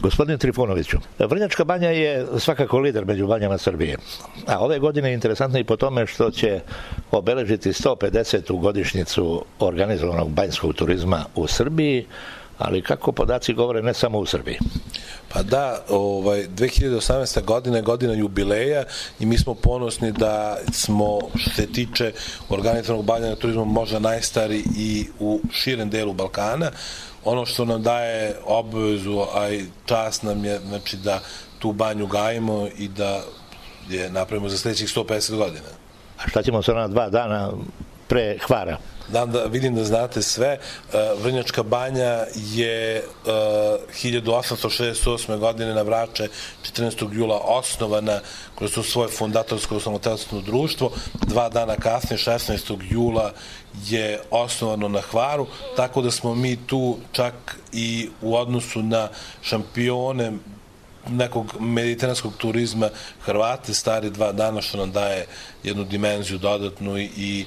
Gospodine Trifunoviću, Vrnjačka banja je svakako lider među banjama Srbije. A ove godine je interesantno i po tome što će obeležiti 150. godišnjicu organizovanog banjskog turizma u Srbiji, ali kako podaci govore, ne samo u Srbiji. Pa da, 2018. godina je godina jubileja i mi smo ponosni da smo, što se tiče organizovanog bavljanja turizmom, možda najstari i u širem delu Balkana. Ono što nam daje obavezu, a i čast nam je, znači, da tu banju gajimo i da je napravimo za sledećih 150 godina. A šta ćemo sa ona 2 dana pre Hvara? Vidim da znate sve. Vrnjačka banja je 1868. godine na Vrače 14. jula osnovana kroz to svoje fundatorsko samotelstvo društvo. 2 dana kasnije, 16. jula, je osnovano na Hvaru, tako da smo mi tu čak i u odnosu na šampione nekog mediteranskog turizma Hrvate stari 2 dana, što nam daje jednu dimenziju dodatnu i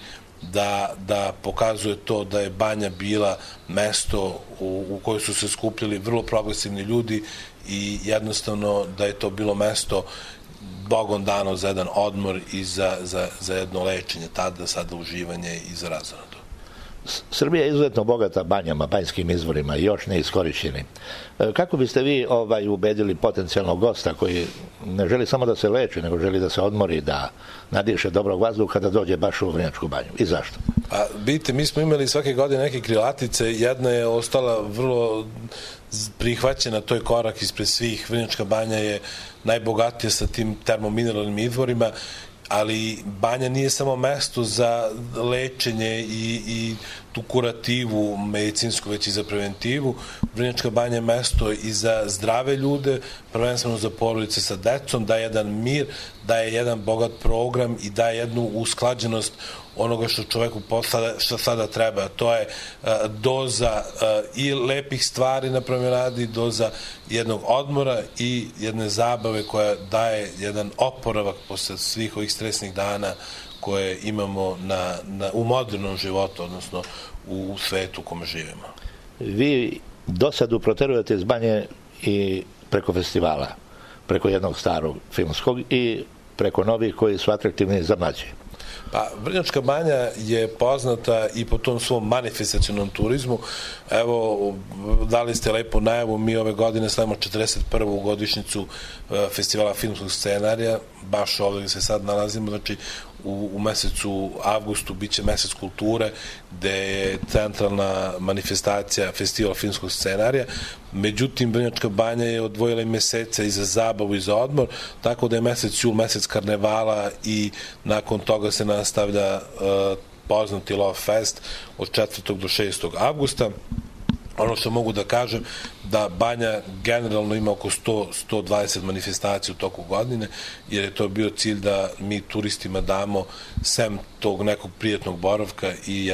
da pokazuje to da je banja bila mesto u kojoj su se skupljali vrlo progresivni ljudi i jednostavno da je to bilo mesto Bogom dano za jedan odmor i za jedno lečenje, tada, sada uživanje i za razonadu. Srbija je izuzetno bogata banjama, banjskim izvorima, još ne iskorišćeni. Kako biste vi ubedili potencijalnog gosta koji ne želi samo da se leči, nego želi da se odmori, da nadiše dobrog vazduha da dođe baš u Vrnjačku banju? I zašto? Vidite, mi smo imali svake godine neke krilatice, jedna je ostala vrlo prihvaćena, to je korak ispred svih. Vrnjačka banja je najbogatija sa tim termomineralnim izvorima, ali banja nije samo mesto za lečenje i tu kurativu medicinsku, već i za preventivu. Vrnjačka banja je mesto i za zdrave ljude, prvenstveno za porodice sa decom, daje jedan mir, daje jedan bogat program i daje jednu usklađenost onoga što čoveku što sada treba. To je doza i lepih stvari na promenadi, doza jednog odmora i jedne zabave koja daje jedan oporavak posle svih ovih stresnih dana koje imamo u modernom životu, odnosno u svetu u kome živimo. Vi dosadu proterujete iz banje i preko festivala, preko jednog starog filmskog i preko novih koji su atraktivni za mlađe. Pa, Vrnjačka banja je poznata i po tom svom manifestacionom turizmu. Evo, dali ste lepo najavu, mi ove godine slavimo 41. godišnjicu festivala filmskog scenarija, baš ovdje gde se sad nalazimo, znači u mesecu avgustu biće mesec kulture, gde je centralna manifestacija festival filmskog scenarija. Međutim, Vrnjačka banja je odvojila i meseca i za zabavu i za odmor, tako da je mesec jul mesec karnevala i nakon toga se nastavlja poznati Love Fest od 4. do 6. avgusta. Ono što mogu da kažem, da banja generalno ima oko 100-120 manifestacija u toku godine, jer je to bio cilj da mi turistima damo sem tog nekog prijatnog boravka i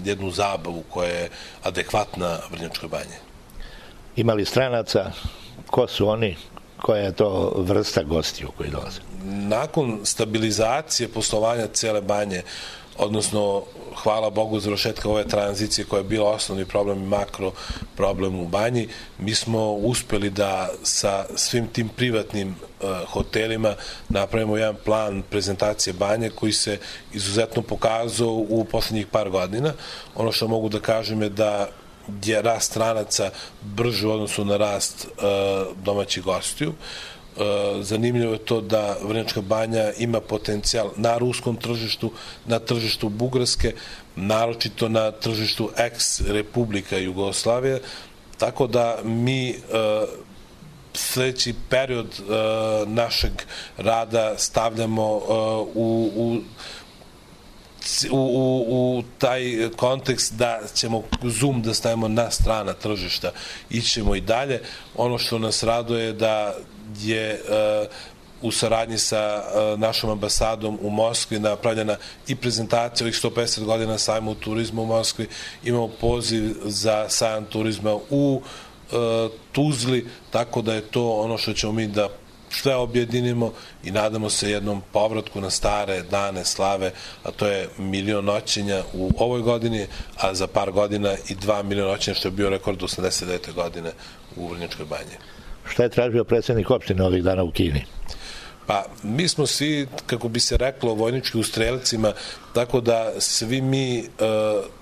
jednu zabavu koja je adekvatna Vrnjačkoj banji. Ima li stranaca? Ko su oni? Koja je to vrsta gostiju koji dolaze? Nakon stabilizacije poslovanja cele banje, odnosno, hvala Bogu, završetka ove tranzicije koja je bila osnovni problem i makro problem u banji, mi smo uspeli da sa svim tim privatnim hotelima napravimo jedan plan prezentacije banje koji se izuzetno pokazao u poslednjih par godina. Ono što mogu da kažem je da je rast stranaca brži u odnosu na rast domaćih gostiju. Zanimljivo je to da Vrnjačka banja ima potencijal na ruskom tržištu, na tržištu Bugarske, naročito na tržištu ex-Republika Jugoslavije, tako da mi sledeći period našeg rada stavljamo u taj kontekst da ćemo zoom da stavimo na strana tržišta. Ićemo i dalje. Ono što nas raduje je da je u saradnji sa našom ambasadom u Moskvi napravljena i prezentacija ovih 150 godina sajma u turizmu u Moskvi. Imamo poziv za sajam turizma u Tuzli, tako da je to ono što ćemo mi da sve objedinimo i nadamo se jednom povratku na stare dane slave, a to je 1.000.000 noćenja u ovoj godini, a za par godina i 2 miliona noćenja, što je bio rekord 89. godine u Vrnjačkoj banji. Šta je tražio predsjednik opštine ovih dana u Kini? Pa, mi smo svi, kako bi se reklo, vojnički u strelicima, tako da svi mi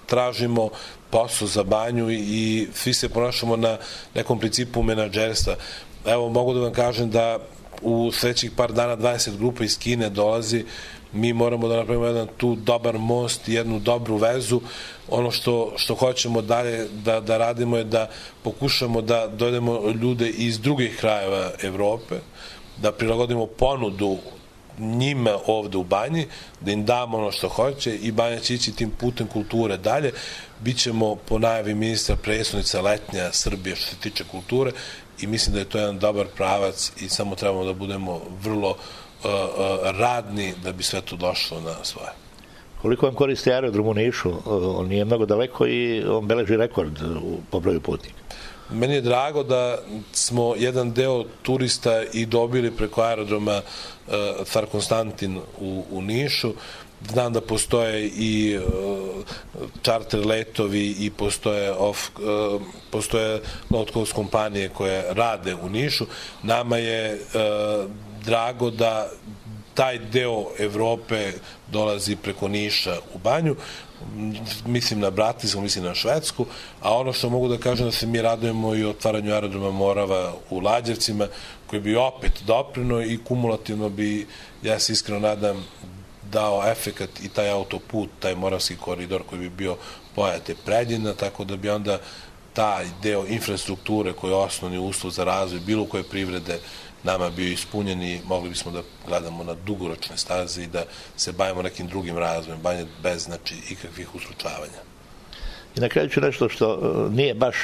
tražimo posao za Banju i svi se ponašamo na nekom principu menadžerstva. Evo, mogu da vam kažem da u sledećih par dana 20 grupa iz Kine dolazi, mi moramo da napravimo jedan tu dobar most, jednu dobru vezu. Ono što hoćemo dalje da radimo je da pokušamo da dovedemo ljude iz drugih krajeva Evrope, da prilagodimo ponudu njima ovde u Banji, da im damo ono što hoće i Banja će ići tim putem kulture dalje. Bićemo po najavi ministra prestonica letnja Srbije što se tiče kulture i mislim da je to jedan dobar pravac i samo trebamo da budemo vrlo radni da bi sve to došlo na svoje. Koliko vam koristi aerodrom u Nišu? On nije mnogo daleko i on beleži rekord po broju putnika. Meni je drago da smo jedan deo turista i dobili preko aerodroma Car Konstantin u Nišu. Znam da postoje i čarter letovi i postoje low-cost kompanije koje rade u Nišu. Nama je drago da taj deo Evrope dolazi preko Niša u Banju. Mislim na Bratislavu, mislim na Švedsku, a ono što mogu da kažem da se mi radujemo i otvaranju aerodroma Morava u Lađevcima, koji bi opet doprino i kumulativno bi, ja se iskreno nadam, dao efekat i taj autoput, taj Moravski koridor koji bi bio Pojate Preljina, tako da bi onda taj deo infrastrukture koji je osnovni uslov za razvoj bilo koje privrede nama bio ispunjen i mogli bismo da gledamo na dugoročne staze i da se bavimo nekim drugim razvojem, Banja bez ikakvih uslučavanja. I na kraju ću nešto što nije baš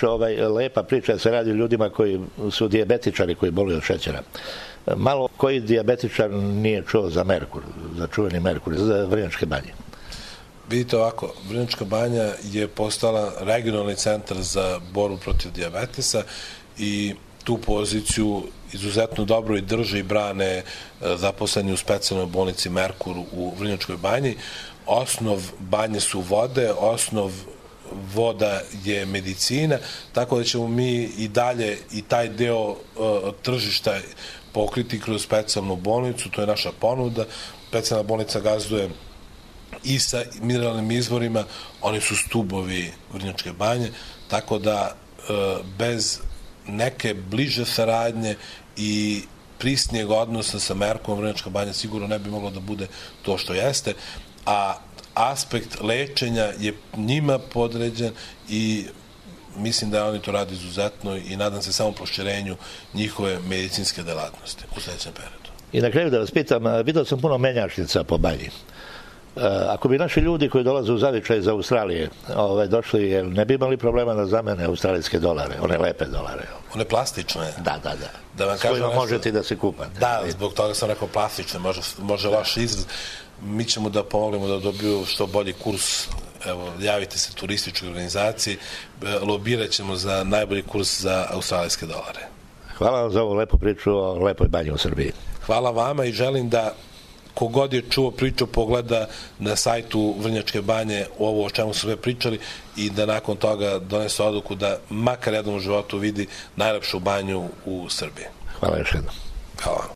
lepa priča, se radi o ljudima koji su dijabetičari, koji boluju od šećera. Malo koji dijabetičar nije čuo za Merkur, za čuveni Merkur, za Vrnjačke Banje? Vidite ovako, Vrnjačka Banja je postala regionalni centar za borbu protiv dijabetesa i tu poziciju izuzetno dobro i drže i brane zaposleni u specijalnoj bolnici Merkur u Vrnjačkoj Banji. Osnov banje su vode, osnov voda je medicina, tako da ćemo mi i dalje i taj deo tržišta pokriti kroz specijalnu bolnicu, to je naša ponuda. Specijalna bolnica gazduje i sa mineralnim izvorima, oni su stubovi Vrnjačke Banje, tako da bez neke bliže saradnje i prisnijeg odnosa sa Merkom Vrnjačka Banja sigurno ne bi moglo da bude to što jeste, a aspekt lečenja je njima podređen i mislim da oni to radi izuzetno i nadam se samo proširenju njihove medicinske delatnosti u sledećem periodu. I na kraju da vas pitam, vidio sam puno menjačnica po Banji. Ako bi naši ljudi koji dolaze u zavičaj iz Australije došli, ne bi imali problema da zamene australijske dolare, one lepe dolare? One plastične? Da. S kojima možete da se kupate. Da, zbog toga sam rekao plastične, može loš izraz. Mi ćemo da pomognemo da dobiju što bolji kurs. Evo, javite se turističkoj organizaciji, lobirat ćemo za najbolji kurs za australijske dolare. Hvala vam za ovu lepu priču o lepoj banji u Srbiji. Hvala vama i želim da kogod je čuo priču pogleda na sajtu Vrnjačke Banje ovo o čemu su sve pričali i da nakon toga donese odluku da makar jednom u životu vidi najlepšu banju u Srbiji. Hvala još jednom. Hvala.